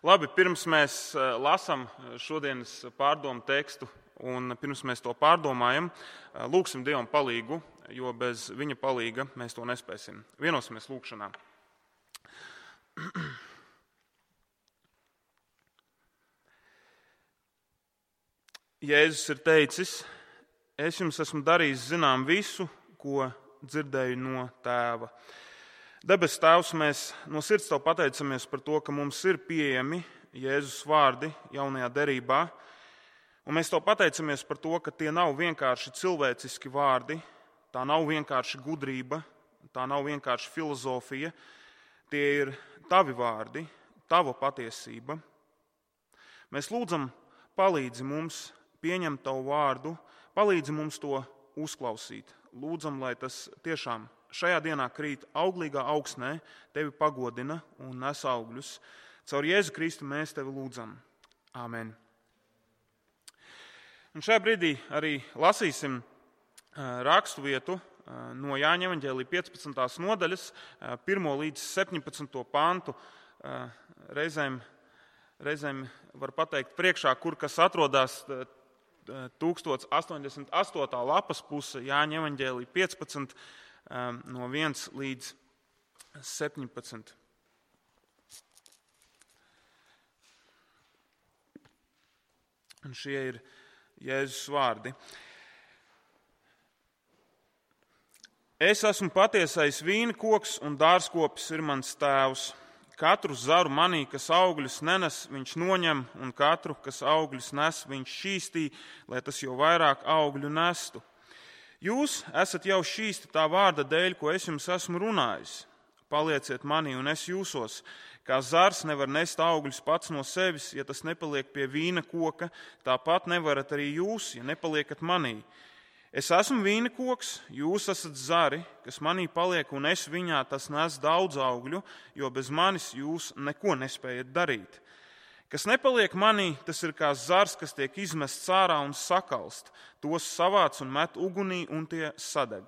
Labi, pirms mēs lasām šodienas pārdomu tekstu un pirms mēs to pārdomājam, lūgsim Dievam palīgu, jo bez viņa palīga mēs to nespēsim. Vienosimies lūgšanā. Jēzus ir teicis, es jums esmu darījis zinām visu, ko dzirdēju no Tēva. Debes Tēvs, mēs no sirds Tev pateicamies par to, ka mums ir pieejami Jēzus vārdi jaunajā derībā. Un mēs Tev pateicamies par to, ka tie nav vienkārši cilvēciski vārdi, tā nav vienkārši gudrība, tā nav vienkārši filozofija. Tie ir Tavi vārdi, Tava patiesība. Mēs lūdzam, palīdzi mums pieņemt Tavu vārdu, palīdzi mums to uzklausīt. Lūdzam, lai tas tiešām šajā dienā krīt auglīgā augsnē, Tevi pagodina un nes augļus. Caur Jēzu Kristu mēs Tevi lūdzam. Āmen. Un šajā brīdī arī lasīsim raksturvietu no Jāņa evaņģēlija 15. nodaļas, 1. līdz 17. pantu. Reizēm var pateikt priekšā, kur kas atrodas 1088. lapas puse Jāņa evaņģēlija 15. no 1 līdz 17. Un šie ir Jēzus vārdi. Es esmu patiesais vīna koks un dārzkopis ir mans tēvs. Katru zaru manī, kas augļus nenes, viņš noņem, un katru, kas augļus nes, viņš šķīstī, lai tas jau vairāk augļu nestu. Jūs esat jau šķīsti tā vārda dēļ, ko es jums esmu runājis. Palieciet manī, un es jūsos. Kā zars nevar nest augļus pats no sevis, ja tas nepaliek pie vīna koka, tāpat nevarat arī jūs, ja nepaliekat manī. Es esmu vīna koks, jūs esat zari, kas manī paliek, un es viņā, tas nes daudz augļu, jo bez manis jūs neko nespējat darīt. Kas nepaliek manī, tas ir kā zars, kas tiek izmests ārā un sakalst. Tos savāc un met ugunī, un tie sadeg.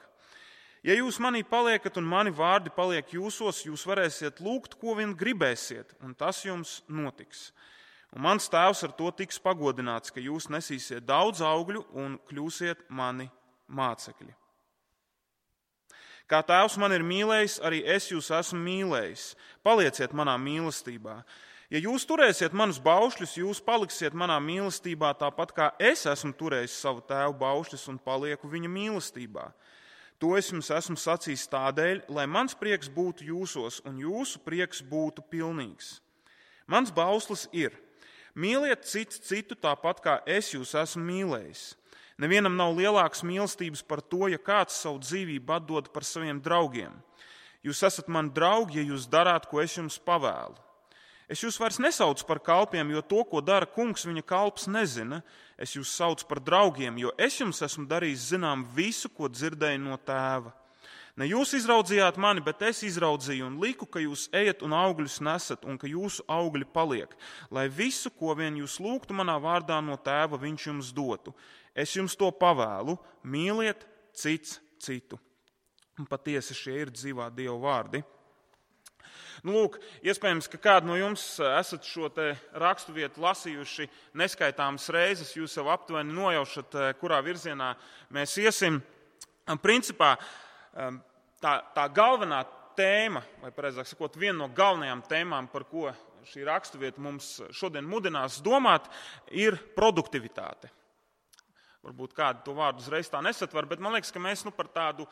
Ja jūs manī paliekat un mani vārdi paliek jūsos, jūs varēsiet lūgt, ko vien gribēsiet, un tas jums notiks. Un mans tēvs ar to tiks pagodināts, ka jūs nesīsiet daudz augļu un kļūsiet mani mācekļi. Kā tēvs man ir mīlējis, arī es jūs esmu mīlējis. Palieciet manā mīlestībā. Ja jūs turēsiet manus baušļus, jūs paliksiet manā mīlestībā, tāpat kā es esmu turējis savu tēvu baušļus un palieku viņa mīlestībā. To es jums esmu sacījis tādēļ, lai mans prieks būtu jūsos un jūsu prieks būtu pilnīgs. Mans bauslis ir: mīliet cits citu tāpat, kā es jūs esmu mīlējis. Nevienam nav lielākas mīlestības par to, ja kāds savu dzīvību atdod par saviem draugiem. Jūs esat mani draugi, ja jūs darāt, ko es jums pavēlu. Es jūs vairs nesaucu par kalpiem, jo to, ko dara kungs, viņa kalps nezina. Es jūs saucu par draugiem, jo es jums esmu darījis zinām visu, ko dzirdēju no tēva. Ne jūs izraudzījāt mani, bet es izraudzīju un liku, ka jūs ejat un augļus nesat un ka jūsu augļi paliek, lai visu, ko vien jūs lūgtu manā vārdā no tēva, viņš jums dotu. Es jums to pavēlu, mīliet cits citu. Un patiesi šie ir dzīvā Dieva vārdi. Lūk, iespējams, ka kādi no jums esat šo te raksturvietu lasījuši neskaitāmas reizes, jūs jau aptuveni nojaušat, kurā virzienā mēs iesim. Principā tā galvenā tēma, vai pareizāk sakot, viena no galvenajām tēmām, par ko šī raksturvieta mums šodien mudinās domāt, ir produktivitāte. Varbūt kādi to vārdu uzreiz tā nesatver, bet man liekas, ka mēs par tādu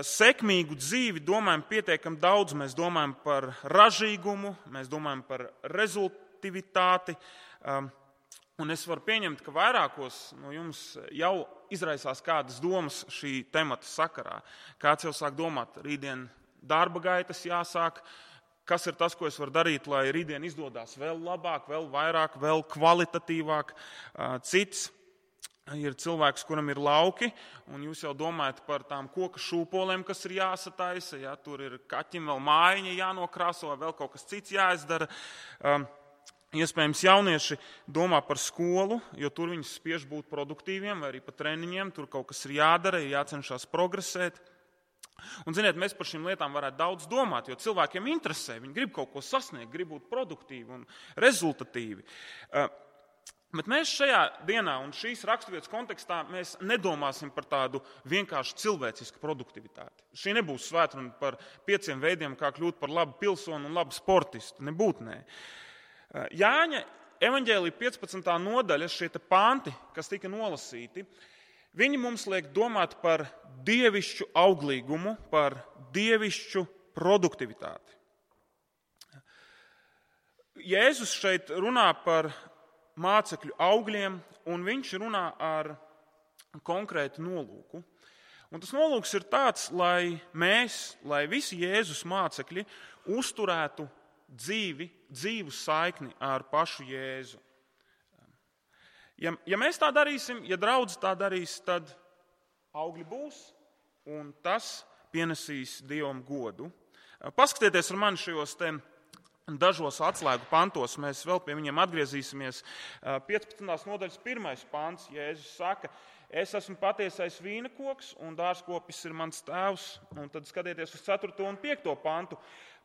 sekmīgu dzīvi domājam pietiekami daudz. Mēs domājam par ražīgumu, mēs domājam par rezultātivitāti. Un es varu pieņemt, ka vairākos no jums jau izraisās kādas domas šī temata sakarā. Kāds jau sāk domāt, rītdien darba gaitas jāsāk, kas ir tas, ko es varu darīt, lai rītdien izdodas vēl labāk, vēl vairāk, vēl kvalitatīvāk. Cits ir cilvēks, kuram ir lauki, un jūs jau domājat par tām koka šūpolēm, kas ir jāsataisa, ja tur ir kaķim vēl mājiņa jānokrāso, vai vēl kaut kas cits jāizdara. Iespējams, jaunieši domā par skolu, jo tur viņus spiež būt produktīviem, vai arī pa treniņiem, tur kaut kas ir jādara, ir jācenšas progresēt. Un, ziniet, mēs par šīm lietām varētu daudz domāt, jo cilvēkiem interesē, viņi grib kaut ko sasniegt, grib būt produktīvi un rezultatīvi. Bet mēs šajā dienā un šīs raksturvietas kontekstā mēs nedomāsim par tādu vienkārši cilvēcisku produktivitāti. Šī nebūs svētruna par 5 veidiem, kā kļūt par labu pilsoni un labu sportistu. Nebūtu. Jāņa evaņģēlija 15. nodaļa, šie panti, kas tika nolasīti, viņi mums liek domāt par dievišķu auglīgumu, par dievišķu produktivitāti. Jēzus šeit runā par mācekļu augļiem, un viņš runā ar konkrētu nolūku. Un tas nolūks ir tāds, lai visi Jēzus mācekļi uzturētu dzīvu saikni ar pašu Jēzu. Ja mēs tā darīsim, ja draudz tā darīs, tad augļi būs, un tas pienesīs Dievam godu. Paskatieties ar mani šajos dažos atslēgu pantos, mēs vēl pie viņiem atgriezīsimies. 15. nodaļas 1. pants, Jēzus saka, es esmu patiesais vīnakoks un dārzkopis ir mans tēvs. Un tad skatieties uz 4. un 5. pantu.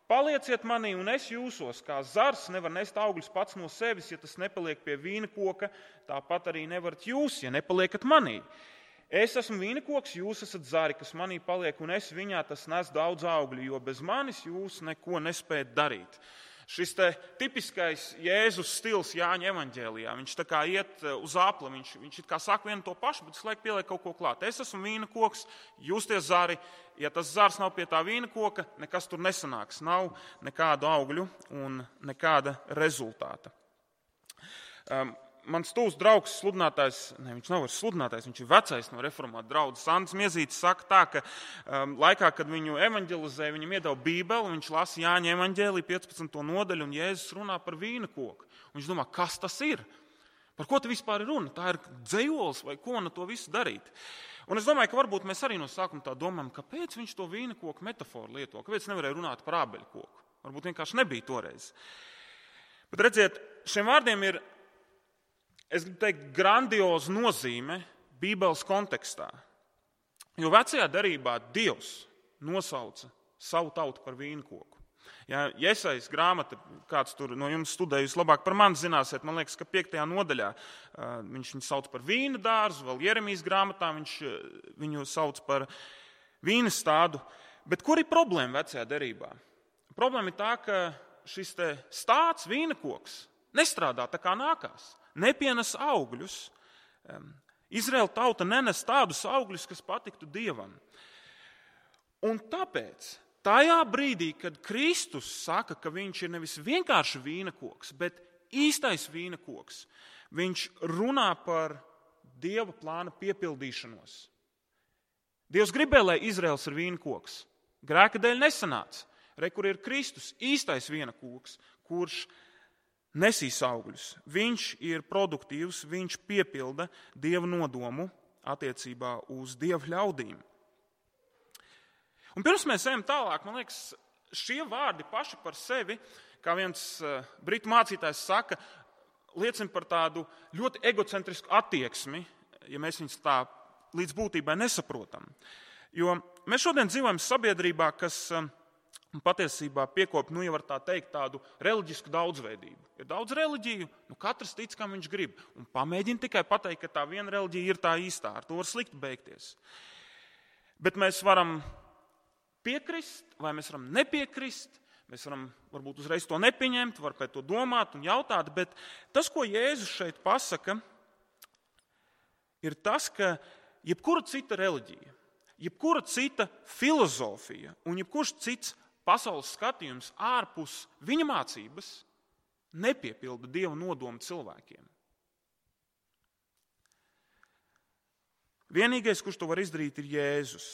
Palieciet manī un es jūsos, kā zars nevar nest augļus pats no sevis, ja tas nepaliek pie vīnakoka, tāpat arī nevarat jūs, ja nepaliekat manī. Es esmu vīnakoks, jūs esat zari, kas manī paliek, un es viņā tas nes daudz augļu, jo bez manis jūs neko nespējat darīt. Šis tipiskais Jēzus stils Jāņa evaņģēlijā, viņš tā kā iet uz apli, viņš it kā saka vienu to pašu, bet visu laiku pieliek kaut ko klāt. Es esmu vīnakoks, jūs tie zari, ja tas zars nav pie tā vīnakoka, nekas tur nesanāks, nav nekādu augļu un nekāda rezultāta. Mans tuvs draugs, sludinātājs, viņš nav vairs sludinātājs, viņš ir vecais no reformāta draudzes. Andris Miezītis saka tā, ka laikā, kad viņu evaņģelizēja, viņam iedeva Bībeli, viņš lasa Jāņa evaņģēliju 15. nodaļu, un Jēzus runā par vīnakoku. Un viņš domā, kas tas ir? Par ko te vispār ir runa? Tā ir dzejols vai ko no to visu darīt? Un es domāju, ka varbūt mēs arī no sākuma tā domājam, kāpēc viņš to vīnakoku metaforu lieto, kāpēc nevarēja runāt par ābeļu koku. Varbūt vienkārši nebija toreiz. Bet redziet, šiem vārdiem ir, es gribu teikt, grandioza nozīme Bībeles kontekstā. Jo vecajā derībā Dievs nosauca savu tautu par vīnkoku. Ja Jesajas grāmata, kāds tur no jums studējis labāk par mani zināsiet, man liekas, ka 5. nodaļā viņš viņu sauc par vīna dārzu, vēl Jeremijas grāmatā viņš viņu sauc par vīna stādu. Bet kur ir problēma vecajā derībā? Problēma ir tā, ka šis stāds, vīnakoks, nestrādā tā kā nākās. Nepienes augļus. Izraēla tauta nenes tādus augļus, kas patiktu Dievam. Un tāpēc, tajā brīdī, kad Kristus saka, ka viņš ir nevis vienkārši vīnakoks, bet īstais vīnakoks, viņš runā par Dieva plāna piepildīšanos. Dievs gribēja, lai Izraels ir vīnakoks. Grēka dēļ nesanāca. Re, kur ir Kristus, īstais vīnakoks, kurš nesīs augļus. Viņš ir produktīvs, viņš piepilda Dieva nodomu attiecībā uz Dieva ļaudīm. Un pirms mēs ejam tālāk, man liekas, šie vārdi paši par sevi, kā viens britu mācītājs saka, liecina par tādu ļoti egocentrisku attieksmi, ja mēs viņus tā līdz būtībai nesaprotam. Jo mēs šodien dzīvojam sabiedrībā, kas patiesībā piekop, jau var tā teikt, tādu reliģisku daudzveidību. Ir daudz reliģiju, katrs tic, kam viņš grib. Un pamēģina tikai pateikt, ka tā viena reliģija ir tā īstā. Ar to var slikti beigties. Bet mēs varam piekrist, vai mēs varam nepiekrist. Mēs varam varbūt uzreiz to nepieņemt, var pēc to domāt un jautāt. Bet tas, ko Jēzus šeit pasaka, ir tas, ka jebkura cita reliģija, jebkura cita filozofija un jebkurš cits pasaules skatījums ārpus viņa mācības nepiepilda Dieva nodomu cilvēkiem. Vienīgais, kurš to var izdarīt, ir Jēzus.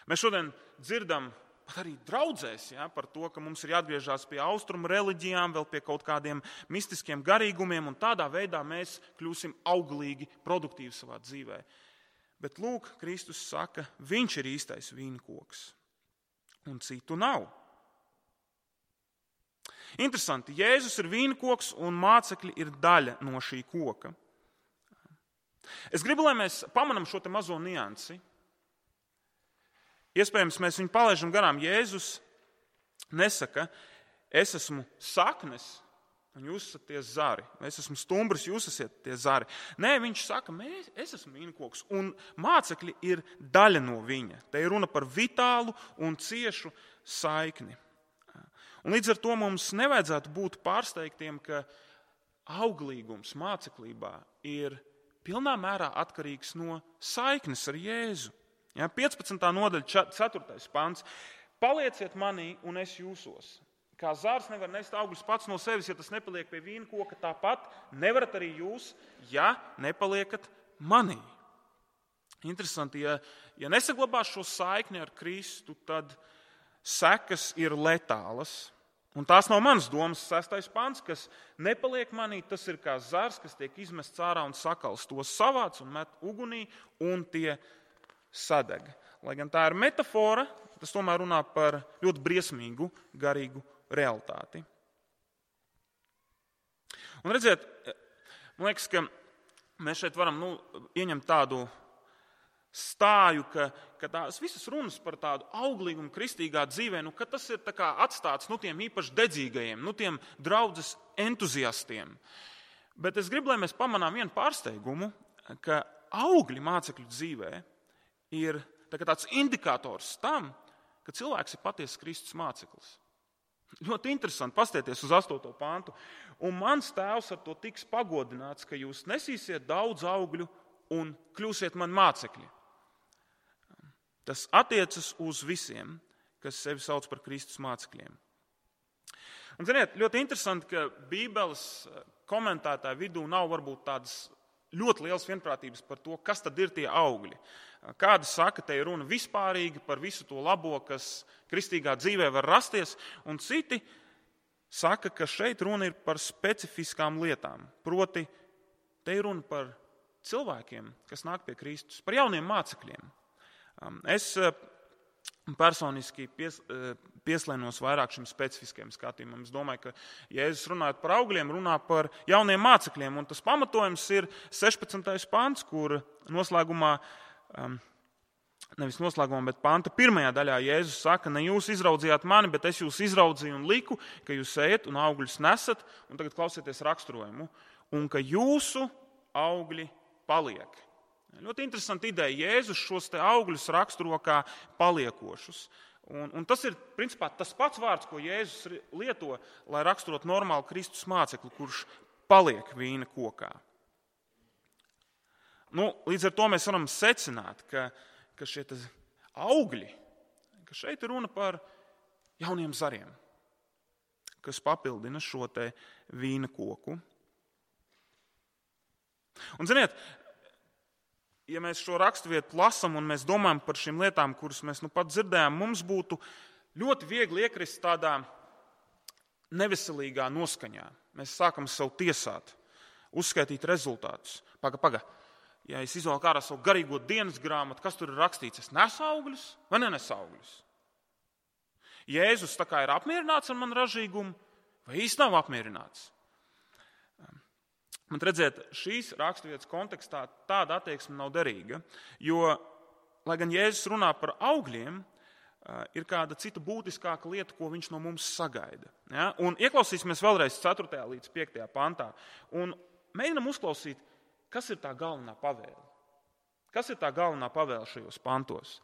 Mēs šodien dzirdam pat arī draudzēs par to, ka mums ir jāatgriežas pie austrumu reliģijām, vēl pie kaut kādiem mistiskiem garīgumiem, un tādā veidā mēs kļūsim auglīgi, produktīvi savā dzīvē. Bet lūk, Kristus saka, viņš ir īstais vīnkoks. Un citu nav. Interesanti, Jēzus ir vīnkoks un mācekļi ir daļa no šī koka. Es gribu, lai mēs pamanām šo te mazo niansi. Iespējams, mēs viņu palaidām garām. Jēzus nesaka, es esmu saknes, un jūs esat tie zari. Es esmu stumbrs, jūs esat tie zari. Nē, viņš saka, es esmu vīnkoks, un mācekļi ir daļa no viņa. Te ir runa par vitālu un ciešu saikni. Un līdz ar to mums nevajadzētu būt pārsteigtiem, ka auglīgums māceklībā ir pilnā mērā atkarīgs no saiknes ar Jēzu. 15. nodaļa, 4. pants. Palieciet manī, un es jūsos. Kā zārs nevar nest augļus pats no sevis, ja tas nepaliek pie vīnkoka, tāpat nevarat arī jūs, ja nepaliekat manī. Interesanti, ja nesaglabās šo saikni ar Kristu, tad sekas ir letālas. Un tās nav manas domas, 6. pants, kas nepaliek manī, tas ir kā zars, kas tiek izmests ārā un sakals. To savāc un met ugunī, un tie sadeg. Lai gan tā ir metafora, tas tomēr runā par ļoti briesmīgu garīgu realitāti. Un redziet, man liekas, ka mēs šeit varam ieņemt tādu stāju, ka tās visas runas par tādu auglīgumu kristīgā dzīvē, ka tas ir tā kā atstāts tiem īpaši dedzīgajiem, tiem draudzes entuziastiem. Bet es gribu, lai mēs pamanām vienu pārsteigumu, ka augļi mācekļu dzīvē ir tāds indikators tam, ka cilvēks ir patiesas Kristus māceklis. Ļoti interesanti paskatieties uz 8. pantu. Un mans tēvs ar to tiks pagodināts, ka jūs nesīsiet daudz augļu un kļūsiet man mācekļi. Tas attiecas uz visiem, kas sevi sauc par Kristus mācekļiem. Un, ziniet, ļoti interesanti, ka Bībeles komentētāju vidū nav varbūt tādas ļoti liels vienprātības par to, kas tad ir tie augļi. Kādi saka, te ir runa vispārīgi par visu to labo, kas kristīgā dzīvē var rasties, un citi saka, ka šeit runa ir par specifiskām lietām. Proti, te ir runa par cilvēkiem, kas nāk pie Kristus, par jauniem mācekļiem. Es personiski pieslēnos vairāk šim specifiskajam skatījumam. Es domāju, ka Jēzus runājot par augļiem, runā par jauniem mācekļiem, un tas pamatojums ir 16. pants, kur noslēgumā, nevis noslēgumā, bet panta pirmajā daļā Jēzus saka, ne jūs izraudzījāt mani, bet es jūs izraudzīju un liku, ka jūs ejat un augļus nesat, un tagad klausieties raksturojumu, un ka jūsu augļi paliek. Ļoti interesanti ideja. Jēzus šos te augļus raksturo kā paliekošus. Un tas ir principā tas pats vārds, ko Jēzus lieto, lai raksturot normālu Kristus mācekli, kurš paliek vīna kokā. Līdz ar to mēs varam secināt, ka šie augļi, ka šeit ir runa par jauniem zariem, kas papildina šo te vīna koku. Un, ziniet, ja mēs šo raksturvietu lasām un mēs domājam par šīm lietām, kuras mēs pat dzirdējām, mums būtu ļoti viegli iekrist tādā neveselīgā noskaņā. Mēs sākam sev tiesāt, uzskaitīt rezultātus. Paga. Ja es izvelku ārā savu garīgo dienas grāmatu, kas tur ir rakstīts? Es nesu augļus vai nenesu augļus? Jēzus tā kā ir apmierināts ar manu ražīgumu vai īsti nav apmierināts? Man redziet, šīs raksturvietas kontekstā tāda attieksme nav derīga, jo, lai gan Jēzus runā par augļiem, ir kāda cita būtiskāka lieta, ko viņš no mums sagaida. Ja? Un ieklausīsimies vēlreiz 4. līdz 5. pantā un mēģinam uzklausīt, kas ir tā galvenā pavēle. Kas ir tā galvenā pavēle šajos pantos?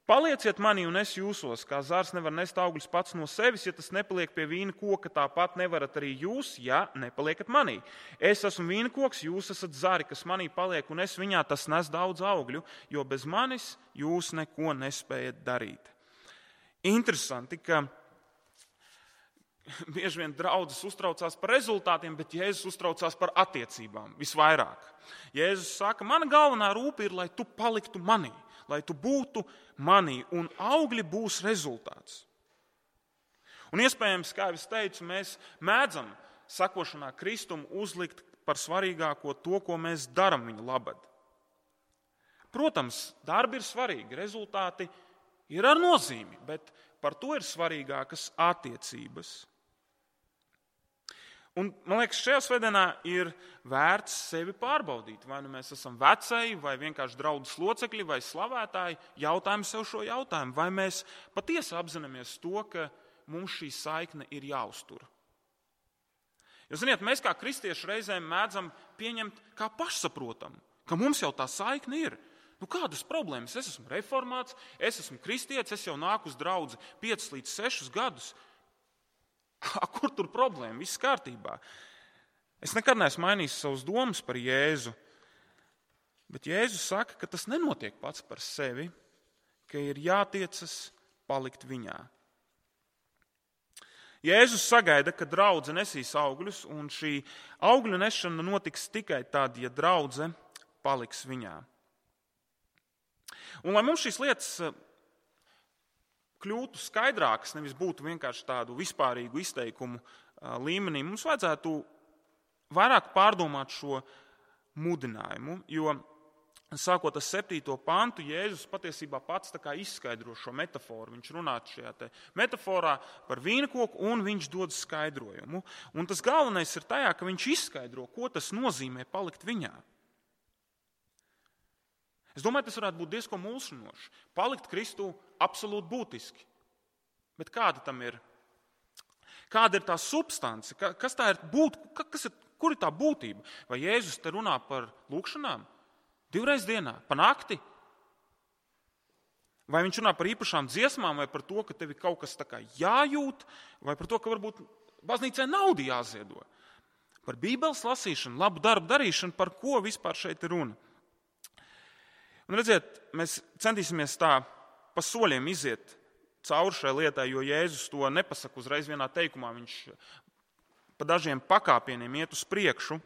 Palieciet manī un es jūsos, kā zars nevar nest augļus pats no sevis, ja tas nepaliek pie vīna koka, tāpat nevarat arī jūs, ja nepaliekat manī. Es esmu vīna koks, jūs esat zari, kas manī paliek, un es viņā, tas nes daudz augļu, jo bez manis jūs neko nespējat darīt. Interesanti, ka bieži vien draudzes uztraucās par rezultātiem, bet Jēzus uztraucās par attiecībām visvairāk. Jēzus saka, mana galvenā rūpe ir, lai tu paliktu manī, lai tu būtu manī, un augļi būs rezultāts. Un iespējams, kā jau es teicu, mēs mēdzam sakošanā Kristum uzlikt par svarīgāko to, ko mēs darām viņa labad. Protams, darbi ir svarīgi, rezultāti ir ar nozīmi, bet par to ir svarīgākas attiecības. Un, man liekas, šajā svētdienā ir vērts sevi pārbaudīt. Vai nu mēs esam vecēji, vai vienkārši draudzes locekļi, vai slavētāji. Jautājam sev šo jautājumu. Vai mēs patiesi apzināmies to, ka mums šī saikne ir jāuztur? Jo, ziniet, mēs kā kristieši reizēm mēdzam pieņemt kā pašsaprotamu, ka mums jau tā saikne ir. Kādas problēmas? Es esmu reformāts, es esmu kristietis, es jau nāku uz draudzi 5 līdz 6 gadus. Kur tur problēma? Viss kārtībā. Es nekad neesmu mainījis savus domas par Jēzu, bet Jēzus saka, ka tas nenotiek pats par sevi, ka ir jātiecas palikt viņā. Jēzus sagaida, ka draudze nesīs augļus, un šī augļu nešana notiks tikai tad, ja draudze paliks viņā. Un, lai mums šīs lietas kļūtu skaidrākas, nevis būtu vienkārši tādu vispārīgu izteikumu līmenī, mums vajadzētu vairāk pārdomāt šo mudinājumu, jo sākot ar 7. pantu, Jēzus patiesībā pats tā kā izskaidro šo metaforu. Viņš runā šajā metaforā par vīnkoku un viņš dod skaidrojumu. Un tas galvenais ir tajā, ka viņš izskaidro, ko tas nozīmē palikt viņā. Es domāju, tas varētu būt diezgan mulsinoši. Palikt Kristū absolūti būtiski. Bet kāda tam ir? Kāda ir tā substance? Kas tā ir kur ir tā būtība? Vai Jēzus te runā par lūkšanām? 2 reizes dienā, pa nakti? Vai viņš runā par īpašām dziesmām, vai par to, ka tev ir kaut kas tā kā jājūt, vai par to, ka varbūt baznīcai naudu jāziedo? Par Bībeles lasīšanu, labu darbu darīšanu, par ko vispār šeit ir runa? Un redziet, mēs centīsimies tā pa soļiem iziet cauri šai lietai, jo Jēzus to nepasaka uzreiz vienā teikumā, viņš pa dažiem pakāpieniem iet uz priekšu.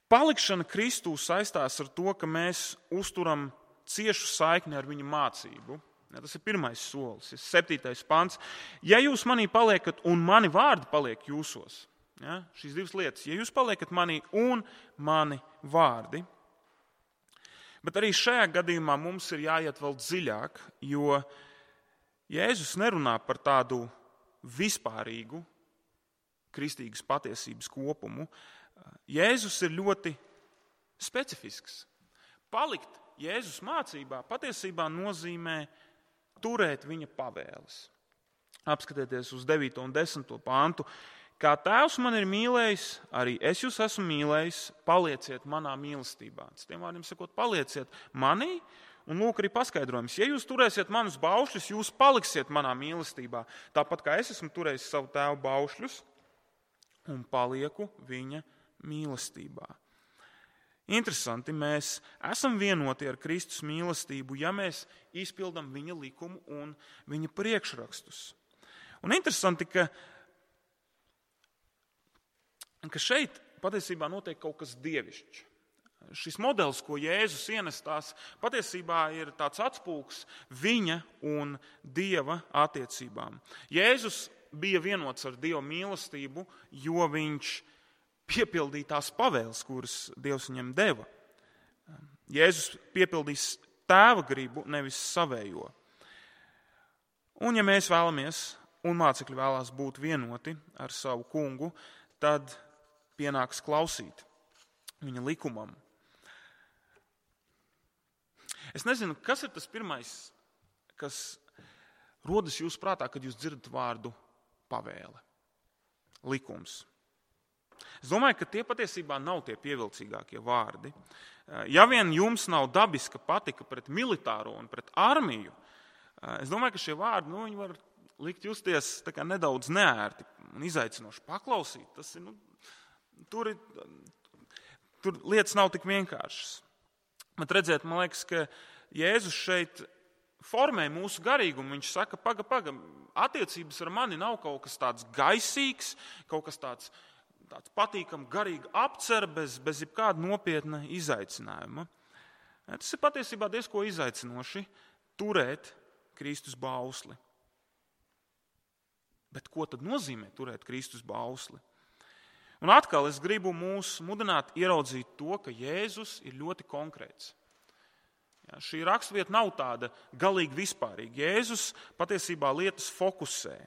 Palikšana Kristū saistās ar to, ka mēs uzturam ciešu saikni ar viņa mācību. Ja, tas ir pirmais solis, 7. pants. Ja jūs manī paliekat un mani vārdi paliek jūsos, ja, šīs 2 lietas, ja jūs paliekat manī un mani vārdi, bet arī šajā gadījumā mums ir jāiet vēl dziļāk, jo Jēzus nerunā par tādu vispārīgu kristīgas patiesības kopumu. Jēzus ir ļoti specifisks. Palikt Jēzus mācībā patiesībā nozīmē turēt viņa pavēles. Apskatieties uz 9. un 10. pantu. Kā Tēvs man ir mīlējis, arī es jūs esmu mīlējis, palieciet manā mīlestībā. Tiem vārdiem sakot, palieciet manī, un lūk arī paskaidrojums. Ja jūs turēsiet manus baušļus, jūs paliksiet manā mīlestībā, tāpat kā es esmu turējis savu tēvu baušļus un palieku viņa mīlestībā. Interesanti, mēs esam vienoti ar Kristus mīlestību, ja mēs izpildam viņa likumu un viņa priekšrakstus. Un interesanti, ka šeit patiesībā notiek kaut kas dievišķs. Šis modelis, ko Jēzus ienestās, patiesībā ir tāds atspulgs viņa un Dieva attiecībām. Jēzus bija vienots ar Dieva mīlestību, jo viņš piepildīja tās pavēles, kuras Dievs viņam deva. Jēzus piepildīs tēva gribu, nevis savējo. Un ja mēs vēlamies, un mācekļi vēlās būt vienoti ar savu kungu, tad pienāks klausīt viņa likumam. Es nezinu, kas ir tas pirmais, kas rodas jūsu prātā, kad jūs dzirdat vārdu pavēle, likums. Es domāju, ka tie patiesībā nav tie pievilcīgākie vārdi. Ja vien jums nav dabiska patika pret militāro un pret armiju, es domāju, ka šie vārdi viņi var likt justies tā kā nedaudz neērti un izaicinoši paklausīt. Tas ir, tur lietas nav tik vienkāršas. Bet redziet, man liekas, ka Jēzus šeit formē mūsu garīgumu. Viņš saka, paga, attiecības ar mani nav kaut kas tāds gaisīgs, kaut kas tāds patīkam garīga apcer bez jebkāda nopietna izaicinājuma. Tas ir patiesībā diezko izaicinoši turēt Kristus bausli. Bet ko tad nozīmē turēt Kristus bausli? Un atkal es gribu mūs mudināt ieraudzīt to, ka Jēzus ir ļoti konkrēts. Ja, šī raksturvieta nav tāda galīgi vispārīga. Jēzus patiesībā lietas fokusē.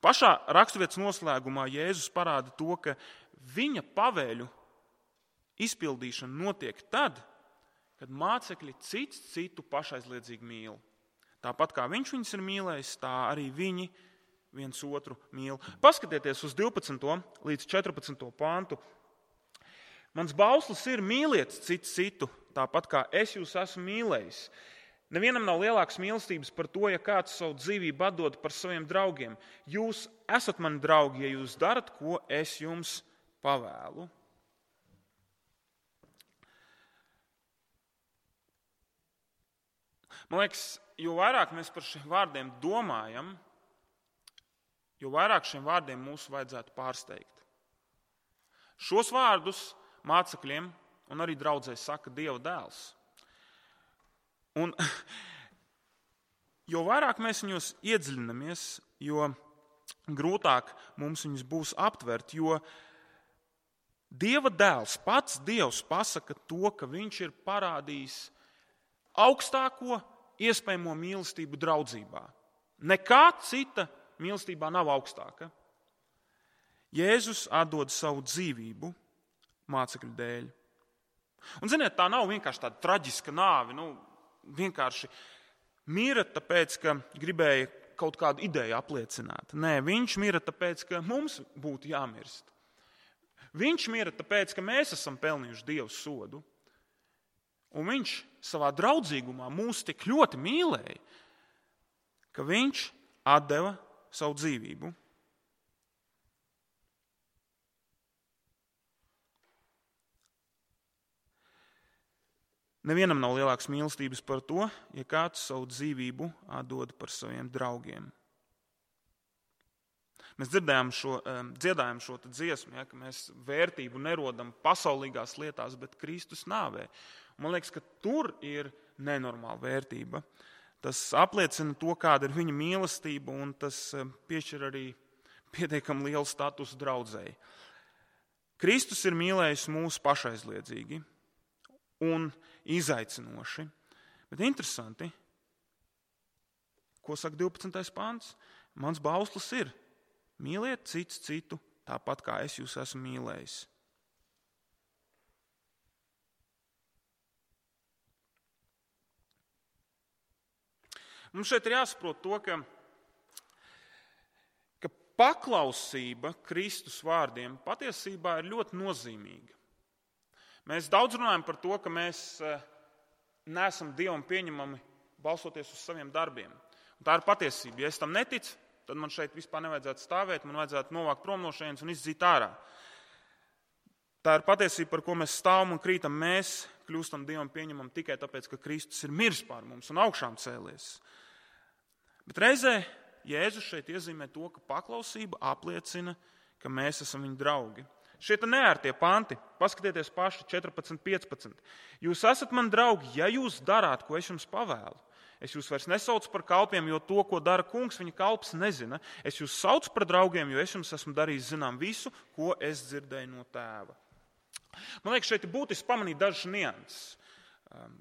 Pašā raksturvietas noslēgumā Jēzus parāda to, ka viņa pavēļu izpildīšana notiek tad, kad mācekļi cits citu pašaizliedzīgi mīl. Tāpat kā viņš viņus ir mīlējis, tā arī viņi viens otru mīl. Paskatieties uz 12. līdz 14. pāntu. Mans bauslis ir mīliet cits citu, tāpat kā es jūs esmu mīlējis. Nevienam nav lielākas mīlestības par to, ja kāds savu dzīvību atdod par saviem draugiem. Jūs esat mani draugi, ja jūs darat, ko es jums pavēlu. Man liekas, jo vairāk mēs par šiem vārdiem domājam, jo vairāk šiem vārdiem mūs vajadzētu pārsteigt. Šos vārdus mācekļiem un arī draudzē saka Dieva dēls. Un jo vairāk mēs viņos iedziļinamies, jo grūtāk mums viņus būs aptvert, jo Dieva dēls, pats Dievs pasaka to, ka viņš ir parādījis augstāko iespējamo mīlestību draudzībā. Nekā cita mīlestībā nav augstāka. Jēzus atdod savu dzīvību mācekļu dēļ. Un ziniet, tā nav vienkārši tāda traģiska nāve, vienkārši mira tāpēc, ka gribēja kaut kādu ideju apliecināt. Nē, viņš mira tāpēc, ka mums būtu jāmirst. Viņš mira tāpēc, ka mēs esam pelnījuši Dievu sodu. Un viņš savā draudzīgumā mūs tik ļoti mīlēja, ka viņš atdeva savu dzīvību. Nevienam nav lielākas mīlestības par to, ja kāds savu dzīvību atdod par saviem draugiem. Mēs dziedājam šo dziesmu, ka mēs vērtību nerodam pasaulīgās lietās, bet Kristus nāvē. Man liekas, ka tur ir nenormāla vērtība. Tas apliecina to, kāda ir viņa mīlestība, un tas piešķir arī pietiekami lielu statusu draudzēji. Kristus ir mīlējis mūs pašaizliedzīgi un izaicinoši. Bet interesanti, ko saka 12. pāns? Mans bauslis ir mīliet cits citu, tāpat kā es jūs esmu mīlējis. Mums šeit ir jāsaprot to, ka paklausība Kristus vārdiem patiesībā ir ļoti nozīmīga. Mēs daudz runājam par to, ka mēs neesam Dievam pieņemami balstoties uz saviem darbiem. Un tā ir patiesība. Ja es tam neticu, tad man šeit vispār nevajadzētu stāvēt, man vajadzētu novākt prom no šejienes un izdzīt ārā. Tā ir patiesība, par ko mēs stāvam un krītam. Mēs kļūstam Dievam pieņemam tikai tāpēc, ka Kristus ir miris pār mums un augšām cēlies. Bet reizē Jēzus šeit iezīmē to, ka paklausība apliecina, ka mēs esam viņa draugi. Šie te neērtie panti, paskatieties paši 14.15. Jūs esat mani draugi, ja jūs darāt, ko es jums pavēlu. Es jūs vairs nesaucu par kalpiem, jo to, ko dara kungs, viņa kalps nezina. Es jūs saucu par draugiem, jo es jums esmu darījis zinām visu, ko es dzirdēju no tēva. Man liekas, šeit ir būtiski pamanīt dažas nianses.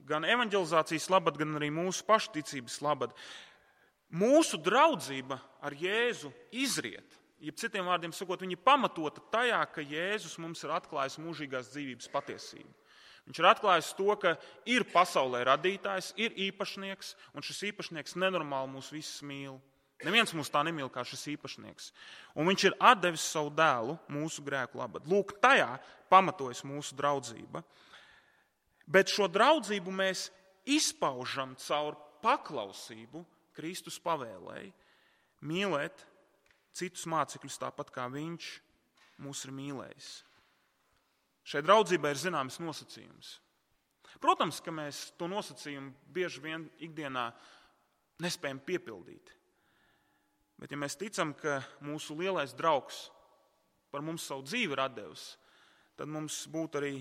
Gan evanģelizācijas labad, gan arī mūsu pašticības labad. Mūsu draudzība ar Jēzu izriet. Jeb citiem vārdiem sakot, viņa pamatota tajā, ka Jēzus mums ir atklājis mūžīgās dzīvības patiesību. Viņš ir atklājis to, ka ir pasaulē radītājs, ir īpašnieks, un šis īpašnieks nenormāli mūs visus mīl. Neviens mūs tā nemīl kā šis īpašnieks. Un viņš ir atdevis savu dēlu mūsu grēku labad. Lūk, tajā pamatojas mūsu draudzība. Bet šo draudzību mēs izpaužam caur paklausību Kristus pavēlēji mīlēt citus mācekļus tāpat kā viņš mūs ir mīlējis. Šai draudzībai ir zināms nosacījums. Protams, ka mēs to nosacījumu bieži vien ikdienā nespējam piepildīt. Bet ja mēs ticam, ka mūsu lielais draugs par mums savu dzīvi ir atdevis, tad mums būtu arī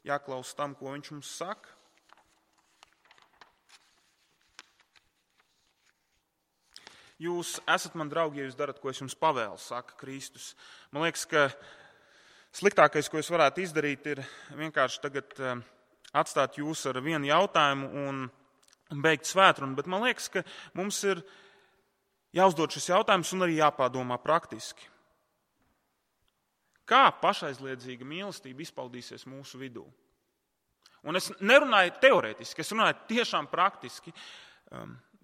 jāklaus tam, ko viņš mums saka. Jūs esat man draugi, ja jūs darat, ko es jums pavēlu, saka Kristus. Man liekas, ka sliktākais, ko es varētu izdarīt, ir vienkārši tagad atstāt jūs ar vienu jautājumu un beigt svētrunu. Bet man liekas, ka mums ir jāuzdod šis jautājums un arī jāpārdomā praktiski. Kā pašaizliedzīga mīlestība izpaudīsies mūsu vidū? Un es nerunāju teorētiski, es runāju tiešām praktiski.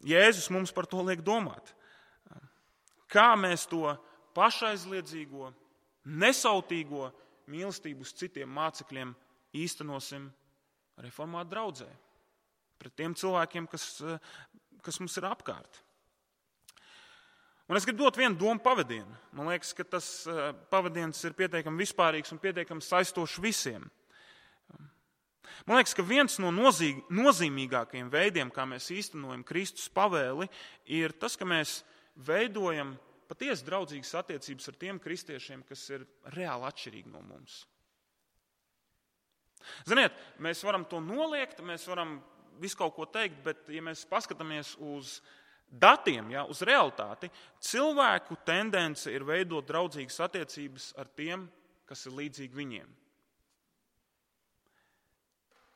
Jēzus mums par to liek domāt. Kā mēs to pašaizliedzīgo, nesautīgo mīlestību uz citiem mācekļiem īstenosim reformātu draudzē, pret tiem cilvēkiem, kas mums ir apkārt. Un es gribu dot vienu domu pavadienu. Man liekas, ka tas pavadiens ir pietiekami vispārīgs un pietiekami saistošs visiem. Man liekas, ka viens no nozīmīgākajiem veidiem, kā mēs īstenojam Kristus pavēli, ir tas, ka mēs veidojam patiesi draudzīgas attiecības ar tiem kristiešiem, kas ir reāli atšķirīgi no mums. Ziniet, mēs varam to noliegt, mēs varam visu kaut ko teikt, bet ja mēs paskatāmies uz datiem, uz realitāti, cilvēku tendence ir veidot draudzīgas attiecības ar tiem, kas ir līdzīgi viņiem.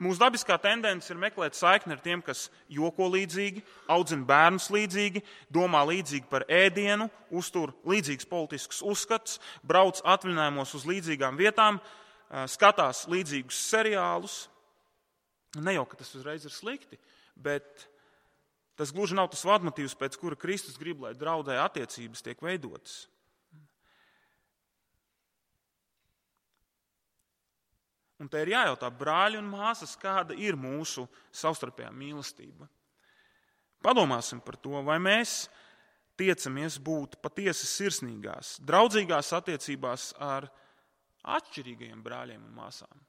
Mūsu dabiskā tendence ir meklēt saikni ar tiem, kas joko līdzīgi, audzina bērnus līdzīgi, domā līdzīgi par ēdienu, uztur līdzīgus politiskus uzskatus, brauc atvaļinājumos uz līdzīgām vietām, skatās līdzīgus seriālus. Ne jau, ka tas uzreiz ir slikti, bet tas gluži nav tas vadmotīvs, pēc kura Kristus grib, lai draudē attiecības tiek veidotas. Un te ir jājautā, brāļi un māsas, kāda ir mūsu savstarpējā mīlestība. Padomāsim par to, vai mēs tiecamies būt patiesi sirsnīgās, draudzīgās attiecībās ar atšķirīgajiem brāļiem un māsām.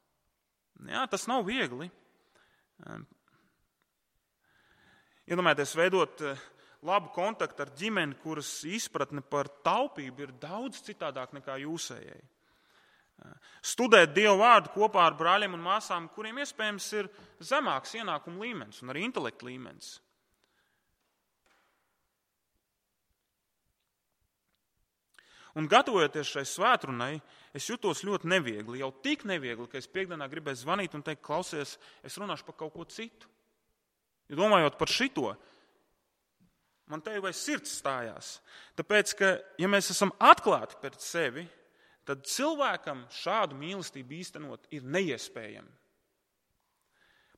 Jā, tas nav viegli. Iedomājieties, veidot labu kontaktu ar ģimeni, kuras izpratne par taupību ir daudz citādāk nekā jūsējai. Studēt Dievu vārdu kopā ar brāļiem un māsām, kuriem iespējams ir zemāks ienākuma līmenis un arī intelekta līmenis. Un gatavojoties šai svētrunai, es jutos ļoti neviegli, jau tik neviegli, ka es piekdienā gribēju zvanīt un teikt, klausies, es runāšu par kaut ko citu. Jo domājot par šito, man te jau sirds stājās. Tāpēc, ka ja mēs esam atklāti pret sevi, tad cilvēkam šādu mīlestību īstenot ir neiespējami.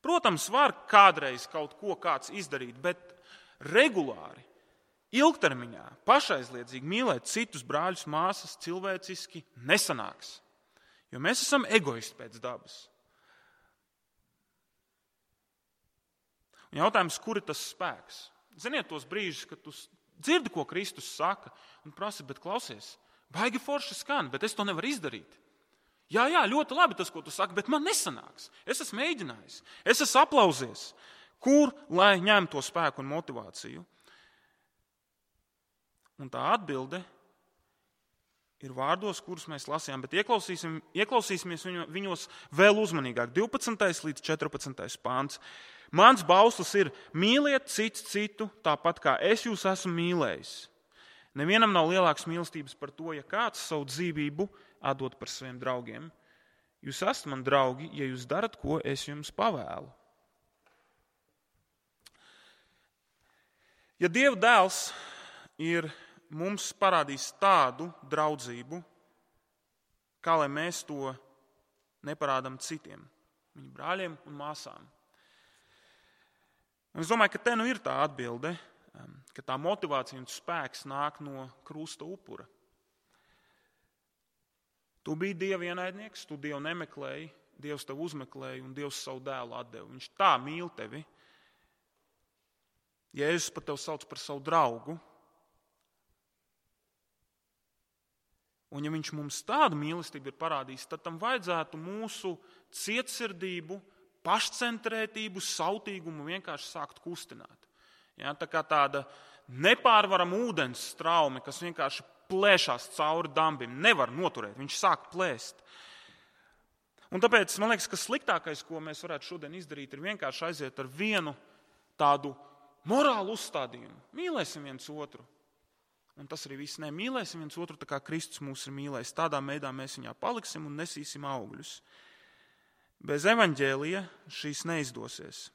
Protams, var kādreiz kaut ko kāds izdarīt, bet regulāri, ilgtermiņā, pašaizliedzīgi mīlēt citus brāļus, māsas cilvēciski nesanāks. Jo mēs esam egoisti pēc dabas. Un jautājums, kur ir tas spēks? Ziniet tos brīžus, kad tu dzirdi, ko Kristus saka, un prasi, bet klausies, baigi forši skan, bet es to nevaru izdarīt. Jā, ļoti labi tas, ko tu saki, bet man nesanāks. Es esmu mēģinājis, es esmu aplausies. Kur, lai ņem to spēku un motivāciju? Un tā atbilde ir vārdos, kurus mēs lasījām, bet ieklausīsimies viņos vēl uzmanīgāk. 12. līdz 14. pāns. Mans bauslis ir mīliet cits citu, tāpat kā es jūs esmu mīlējis. Nevienam nav lielākas mīlestības par to, ja kāds savu dzīvību atdod par saviem draugiem. Jūs esat man draugi, ja jūs darat, ko es jums pavēlu. Ja Dieva dēls ir mums parādījis tādu draudzību, kā lai mēs to neparādām citiem, viņu brāļiem un māsām. Un es domāju, ka te nu ir tā atbilde, ka tā motivācija un spēks nāk no krusta upura. Tu biji Dieva ienaidnieks, tu Dievu nemeklēji, Dievs tevi uzmeklēja un Dievs savu dēlu atdeva. Viņš tā mīl tevi. Jēzus pat tevi sauc par savu draugu. Un ja viņš mums tādu mīlestību ir parādījis, tad tam vajadzētu mūsu cietsirdību, pašcentrētību, sautīgumu vienkārši sākt kustināt. Ja, tā kā tāda nepārvarama ūdens straume, kas vienkārši plēšās cauri dambim, nevar noturēt, viņš sāk plēst. Un tāpēc man liekas, ka sliktākais, ko mēs varētu šodien izdarīt, ir vienkārši aiziet ar vienu tādu morālu uzstādījumu. Mīlēsim viens otru. Un tas arī viss. Mīlēsim viens otru tā kā Kristus mūs ir mīlējis. Tādā veidā mēs viņā paliksim un nesīsim augļus. Bez evaņģēlija šīs neizdosies.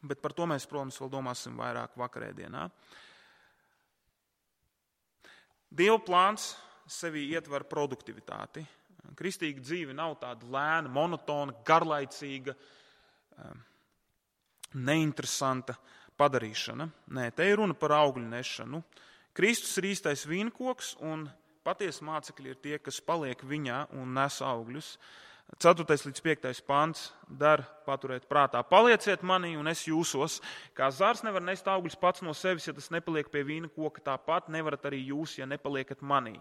Bet par to mēs, protams, vēl domāsim vairāk vakarēdienā. Dieva plāns sevī ietver produktivitāti. Kristīga dzīve nav tāda lēna, monotona, garlaicīga, neinteresanta padarīšana. Nē, te ir runa par augļu nešanu. Kristus ir īstais vīnkoks, un patiesi mācekļi ir tie, kas paliek viņā un nes augļus. 4. līdz 5. pants dar paturēt prātā. Palieciet manī un es jūsos. Kā zars nevar nest augļus pats no sevis, ja tas nepaliek pie vīna koka, tāpat nevarat arī jūs, ja nepaliekat manī.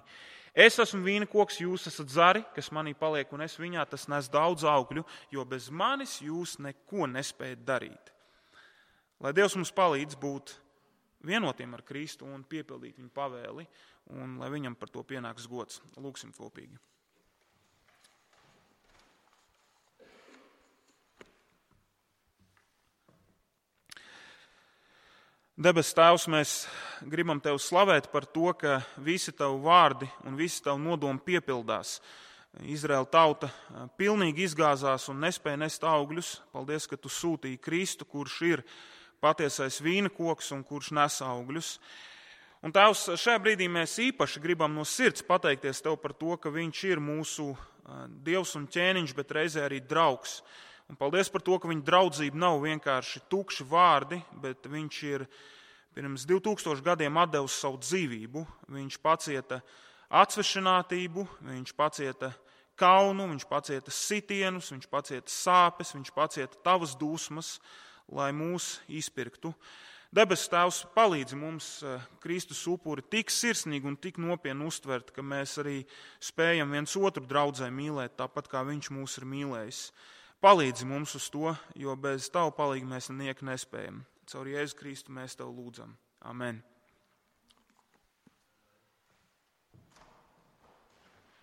Es esmu vīna koks, jūs esat zari, kas manī paliek un es viņā, tas nes daudz augļu, jo bez manis jūs neko nespējat darīt. Lai Dievs mums palīdz būt vienotiem ar Kristu un piepildīt viņa pavēli, un lai viņam par to pienāks gods. Lūksim kopīgi. Debes Tēvs, mēs gribam Tev slavēt par to, ka visi Tavi vārdi un visi Tavi nodomi piepildās. Izraēla tauta pilnīgi izgāzās un nespēja nest augļus. Paldies, ka Tu sūtīji Kristu, kurš ir patiesais vīna koks un kurš nes augļus. Un Tēvs, šajā brīdī mēs īpaši gribam no sirds pateikties Tev par to, ka Viņš ir mūsu Dievs un ķēniņš, bet reizē arī draugs. Un paldies par to, ka viņa draudzība nav vienkārši tukši vārdi, bet viņš ir pirms 2000 gadiem atdevis savu dzīvību. Viņš pacieta atsvešinātību, viņš pacieta kaunu, viņš pacieta sitienus, viņš pacieta sāpes, viņš pacieta Tavas dusmas, lai mūs izpirktu. Debes Tēvs, palīdzi mums Kristus upuri tik sirsnīgi un tik nopietni uztvert, ka mēs arī spējam viens otru draudzē mīlēt, tāpat kā Viņš mūs ir mīlējis. Palīdzi mums uz to, jo bez Tavu palīgu mēs nieko nespējam. Caur Jēzu Kristu mēs Tev lūdzam. Amen.